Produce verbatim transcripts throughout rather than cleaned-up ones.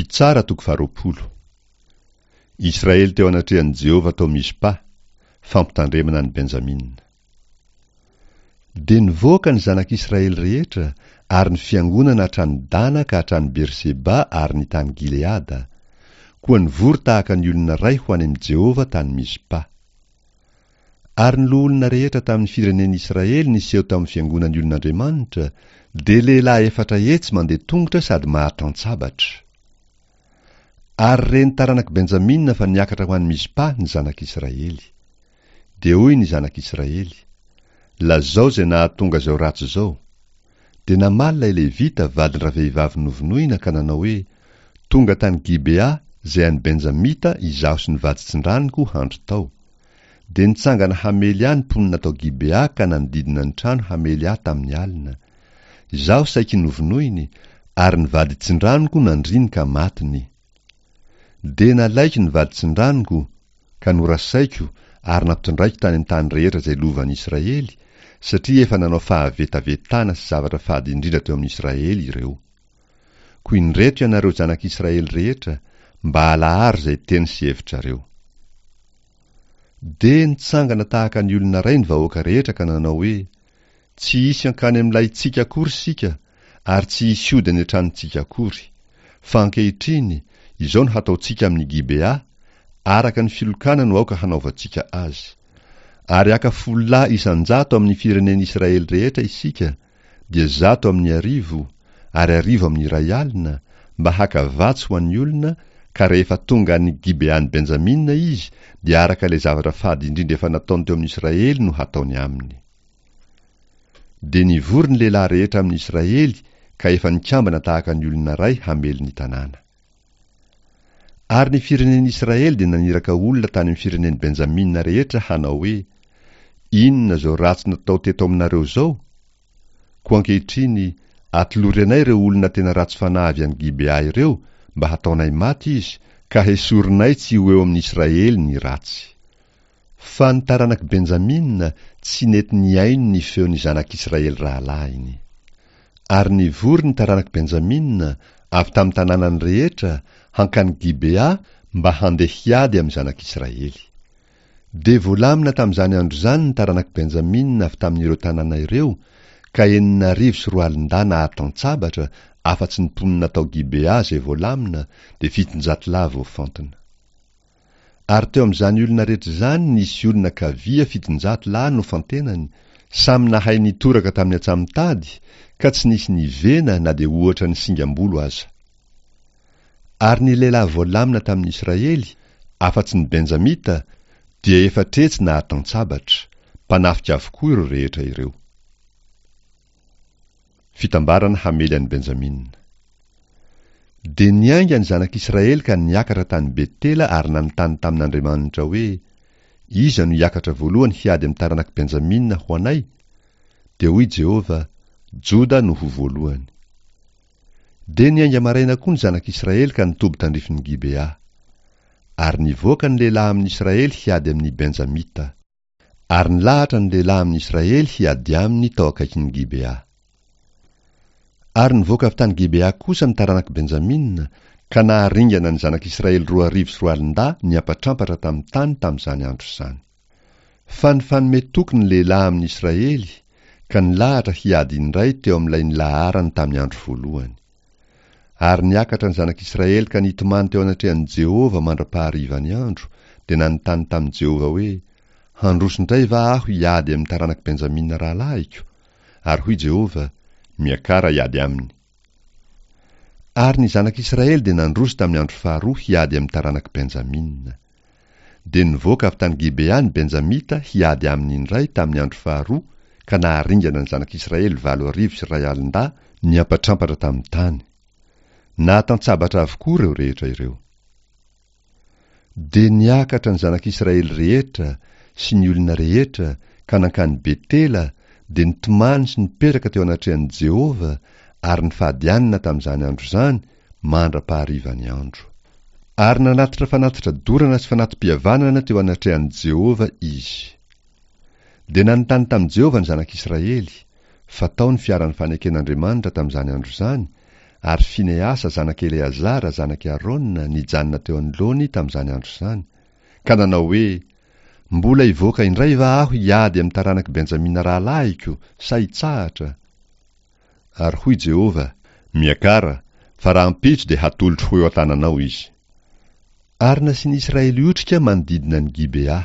Mpitsara toko faharoapolo. Israely teo anatrehan'i Jehovah tao Mizpa, fampitandremana an'i Benjamina. Dia nivoaka ny zanak'Israely rehetra ary ny fiangonana hatrany Dana ka hatrany Berseba ary ny tany Gileada, koa nivory tahaka ny olona iray ho any amin'i Jehovah tany Mizpa. Ary ny loholona rehetra tamin'ny firenen'Israely niseho tamin'ny fiangonan'ny olon'Andriamanitra dia lehilahy efatra hetsy mandeha tongotra sady mahatan-tsabatra. Ary ren'ny taranak'i Benjamina fa niakatra ho any Mizpa ny zanak'Israely. Dia hoy ny zanak'Israely: Lazao izay nahatonga izao ratsy izao. Dia namaly ilay Levita vadin-dravehivavy novonoina ka nanao hoe: Tonga tany Gibea izay any Benjamita izaho sy ny vaditsindranoko handry tao. Dia nitsangana hamely ahy ny mponina tao Gibea ka nanodidina ny trano hamely ahy tamin'ny alina. Izaho saiky novonoiny, ary ny vaditsindranoko nandriny ka matiny. Dia nalaiko ny vaditsindranoko ka norasaiko ary nampitondraiko tany amin'ny tany rehetra izay lovan'ny Israely, satria efa nanao fahavetavetana sy zavatra fady indrindra teo amin'ny Israely ireo. Koa indreto ianareo zanak'Israely rehetra, mba alaharo izay teny sy hevitrareo. Dia nitsangana tahaka ny olona iray ny vahoaka rehetra ka nanao hoe: Tsy hisy hankany amin'ny lahintsika akory isika, ary tsy hisy hody any an-tranontsika akory. Fa ankehitriny, izao no hataontsika amin'ny Gibea, araka ny filokana no aoka hanaovantsika azy. Ary haka folo lahy isan-jato amin'ny firenen'Israely rehetra isika, dia zato amin'ny arivo, ary arivo amin'ny iray alina, mba haka vatsy ho an'ny olona, ka rehefa tonga any Gibean'i Benjamina izy, dia araka ilay zavatra fady indrindra efa nataony teo amin'Israely no hataony aminy. Dia nivory ny lehilahy rehetra amin'Israely ka efa nikambana tahaka ny olona iray hamely ny tanàna. Ary ny firenen'Israely dia naniraka olona tany amin'ny firenen'i Benjamina rehetra hanao hoe: Inona izao ratsy natao teto aminareo izao? Koa ankehitriny, atolory anay ireo olona tena ratsy fanahy avy any Gibea ireo mba hataonay maty izy, ka hesorinay tsy ho eo amin'Israely ny ratsy. Fa ny taranak'i Benjamina tsy nety nihaino ny feon'ny zanak'Israely rahalahiny. Ary nivory ny taranak'i Benjamina avy tamin'ny tanànany rehetra hankany Gibea mba handeha hiady amin'ny zanak'Israely. Dia voalamina tamin'izany andro izany ny taranak'i Benjamina avy tamin'ireo tanàna ireo, ka enina arivo sy roa alin-dahy nahatan-tsabatra, afa-tsy ny mponina tao Gibea izay voalamina, dia fitonjato lahy voafantina. Ary teo amin'izany olona rehetra izany nisy olona kavia fitonjato lahy nofantenany, samy nahay nitoraka tamin'ny antsamotady, ka tsy nisy nivena na dia ohatra ny singam-bolo aza. Ary ny lehilahy voalamina tamin'ny Israely, afa-tsy ny Benjamita, dia efatretsy nahatan-tsabatra, mpanafika avokoa ireo rehetra ireo. Fitambarana hamely an'i Benjamina. Dia niainga ny zanak'Israely ka niakatra tany Betela ary nanontany tamin'Andriamanitra hoe: Iza no hiakatra voalohany hiady amin'ny taranak'i Benjamina ho anay? Dia hoy Jehovah: Joda no ho voalohany. Dia niainga maraina koa ny zanak'Israely ka nitoby tandrifin'i Gibea. Ary nivoaka ny lehilahy amin'Israely hiady amin'ny Benjamita. Ary nilahatra ny lehilahy amin'Israely hiady aminy tao akaikin'i Gibea. Ary nivoaka avy tany Gibea kosa ny taranak'i Benjamina, ka naharingana ny zanak'Israely roa arivo sy roa alin-dahy niampatrampatra tamin'ny tany tamin'izany andro izany. Fa nifanome toky ny lehilahy amin'Israely, ka nilahatra hiady indray teo amin'ilay nilaharany tamin'ny andro voalohany. Ary niakatra ny zanak'Israely ka nitomany teo anatrehan'i Jehovah mandra-paharivan'ny andro, dia nanontany tamin'i Jehovah hoe: Handroso indray va aho hiady amin'ny taranak'i Benjamina rahalahiko? Ary hoy Jehovah: Miakara hiady aminy. Ary ny zanak'Israely dia nandroso tamin'ny andro faharoa hiady amin'ny taranak'i Benjamina. Dia nivoaka avy tany Gibea ny Benjamita hiady aminy indray tamin'ny andro faharoa, ka naharingana ny zanak'Israely valo arivo sy iray alin-dahy niampatrampatra tamin'ny tany. Nahatan-tsabatra avokoa ireo rehetra ireo. Dia niakatra ny zanak'Israely rehetra sy ny olona rehetra ka nankany Betela, dia nitomany sy nipetraka teo anatrehan'i Jehovah ary nifady hanina tamin'izany andro izany mandra-paharivan'ny andro. Ary nanatitra fanatitra dorana sy fanati-pihavanana teo anatrehan'i Jehovah izy. Dia nanontany tamin'i Jehovah ny zanak'Israely, fa tao ny fiaran'ny faneken'Andriamanitra tamin'izany andro izany, Ary Finehasa zanak'i Eleazara zanak'i Arona nijanona teo anoloany tamin'izany andro izany, ka nanao hoe, Mbola hivoaka indray va aho hiady amin'ny taranak'i Benjamina rahalahiko, sa hitsahatra? Ary hoy Jehovah, Miakara, fa rahampitso dia hatolotro ho eo an-tananao izy. Ary nasian'ny Israely otrika manodidina an'i Gibea.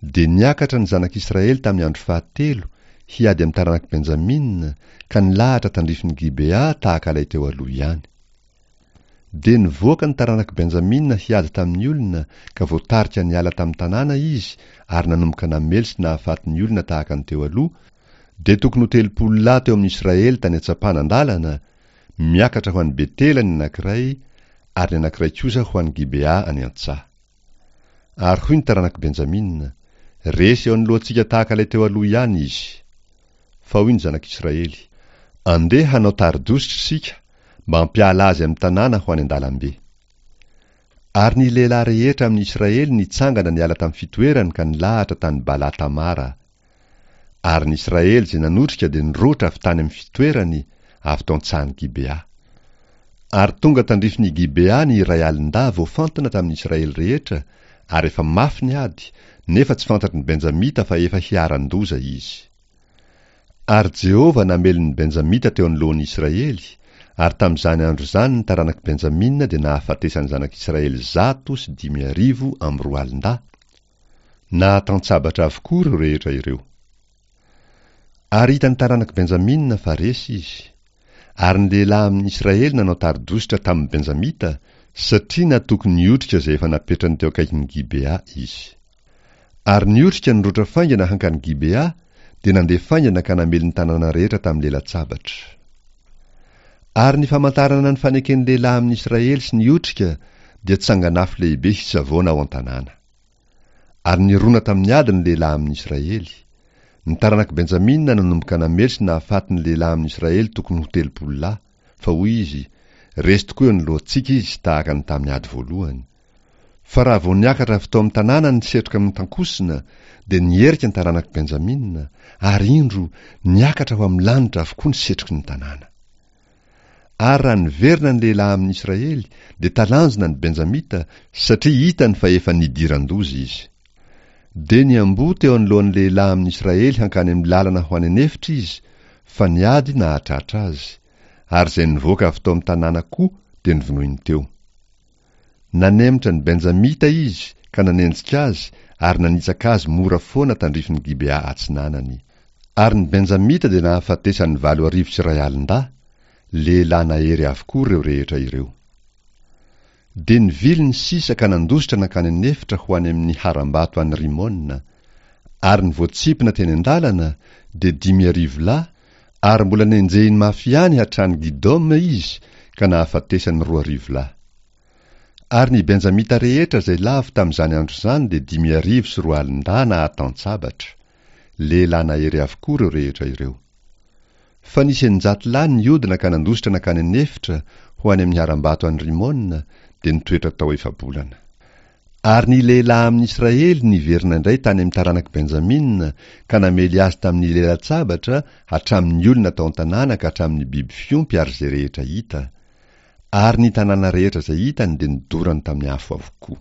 Dia niakatra ny zanak'Israely tamin'ny andro fahatelo, hiady amin'ny taranak'i Benjamina, ka nilahatra tandrifin'i Gibea tahaka ilay teo aloha ihany. Dia nivoaka ny taranak'i Benjamina hiady tamin'ny olona, ka voatarika niala tamin'ny tanàna izy, ary nanomboka namely sy nahafaty ny olona tahaka ny teo aloha, dia tokony ho telopolo lahy teo amin'ny Israely tany an-tsampanan-dalana, miakatra ho any Betela ny anankiray, ary ny anankiray kosa ho any Gibea any an-tsaha. Ary hoy ny taranak'i Benjamina, Resy eo anoloantsika tahaka ilay teo aloha ihany izy. Fa hoy ny zanak'Israely, Andeha hanao tari-dositra isika, mba hampiala azy amin'ny tanàna ho any an-dalambe. Ary ny lehilahy rehetra amin'ny Israely nitsangana niala tamin'ny fitoerany ka nilahatra tany Bala-Tamara. Ary ny Israely izay nanotrika dia niroatra avy tany amin'ny fitoerany, avy tao an-tsahan'i Gibea. Ary tonga tandrifin'i Gibea ny iray alin-dahy voafantina tamin'ny Israely rehetra, ary efa mafy ny ady, nefa tsy fantatry ny Benjamita fa efa hiharan-doza izy. Ary Jehovah namely ny Benjamita teo anoloan'ny Israely, ary tamin'izany andro izany ny taranak'i Benjamina dia nahafatesan'ny zanak'Israely zato sy dimy arivo amby roa alin-dahy. Nahatantsabatra avokoa ireo rehetra ireo. Ary hitan'ny taranak'i Benjamina fa resy izy. Ary ny lehilahy amin'ny Israely nanao tari-dositra tamin'ny Benjamita, satria natoky ny otrika izay efa napetrany teo akaikin'i Gibea izy. Ary ny otrika niroatra faingana hankany Gibea, dia nandeha faingana ka namely ny tanàna rehetra tamin'ny lela-tsabatra. Ary ny famantarana ny faneken'ny lehilahy amin'ny Israely sy ny otrika dia tsangan'afo lehibe hisavoana ao an-tanàna. Ary nirona tamin'ny ady ny lehilahy amin'ny Israely. Ny taranak'i Benjamina nanomboka namely sy nahafaty ny lehilahy amin'ny Israely tokony ho telopolo lahy, fa hoy izy, Resy tokoa eo anoloantsika izy tahaka ny tamin'ny ady voalohany. Fa raha vao niakatra avy tao amin'ny tanàna ny setroka mitankosina, dia niherika ny taranak'i Benjamina, ary indro, niakatra ho amin'ny lanitra avokoa ny setroky ny tanàna. Ary raha niverina ny lehilahy amin'ny Israely, dia talanjona ny Benjamita, satria hitany fa efa nidiran-doza izy. Dia niamboho teo anoloan'ny lehilahy amin'ny Israely hankany amin'ny lalana ho any an'efitra izy, fa ny ady nahatratra azy, ary izay nivoaka avy tao amin'ny tanàna koa dia novonoiny teo. Nanemitra ny Benjamita izy ka nanenjika azy ary nanitsaka azy mora foana tandrifin'i Gibea atsinanany. Ary ny Benjamita dia nahafatesan'ny valo arivo sy iray alin-dahy, lehilahy nahery avokoa ireo rehetra ireo. Dia nivily ny sisa ka nandositra nankany an'efitra ho any amin'ny harambato any Rimona. Ary ny voatsipina teny an-dalana dia dimy arivo lahy, ary mbola nenjehiny mafy ihany hatrany Gidoma izy ka nahafatesany roa arivo lahy. Ary ny Benjamita rehetra izay lavo tamin'izany andro izany dia dimy arivo sy roa alin-dahy nahatan-tsabatra. Lehilahy nahery avokoa ireo rehetra ireo. Fa nisy eninjato lahy nihodina ka nandositra nankany an'efitra ho any amin'ny harambato any Rimona, dia nitoetra tao efa-bolana. Ary ny lehilahy amin'ny Israely niverina indray tany amin'ny taranak'i Benjamina ka namely azy tamin'ny lela-tsabatra hatramin'ny olona tao an-tanàna ka hatramin'ny biby fiompy ary izay rehetra hita. Ary ny tanàna rehetra izay hitany dia nodorany tamin'ny afo avokoa.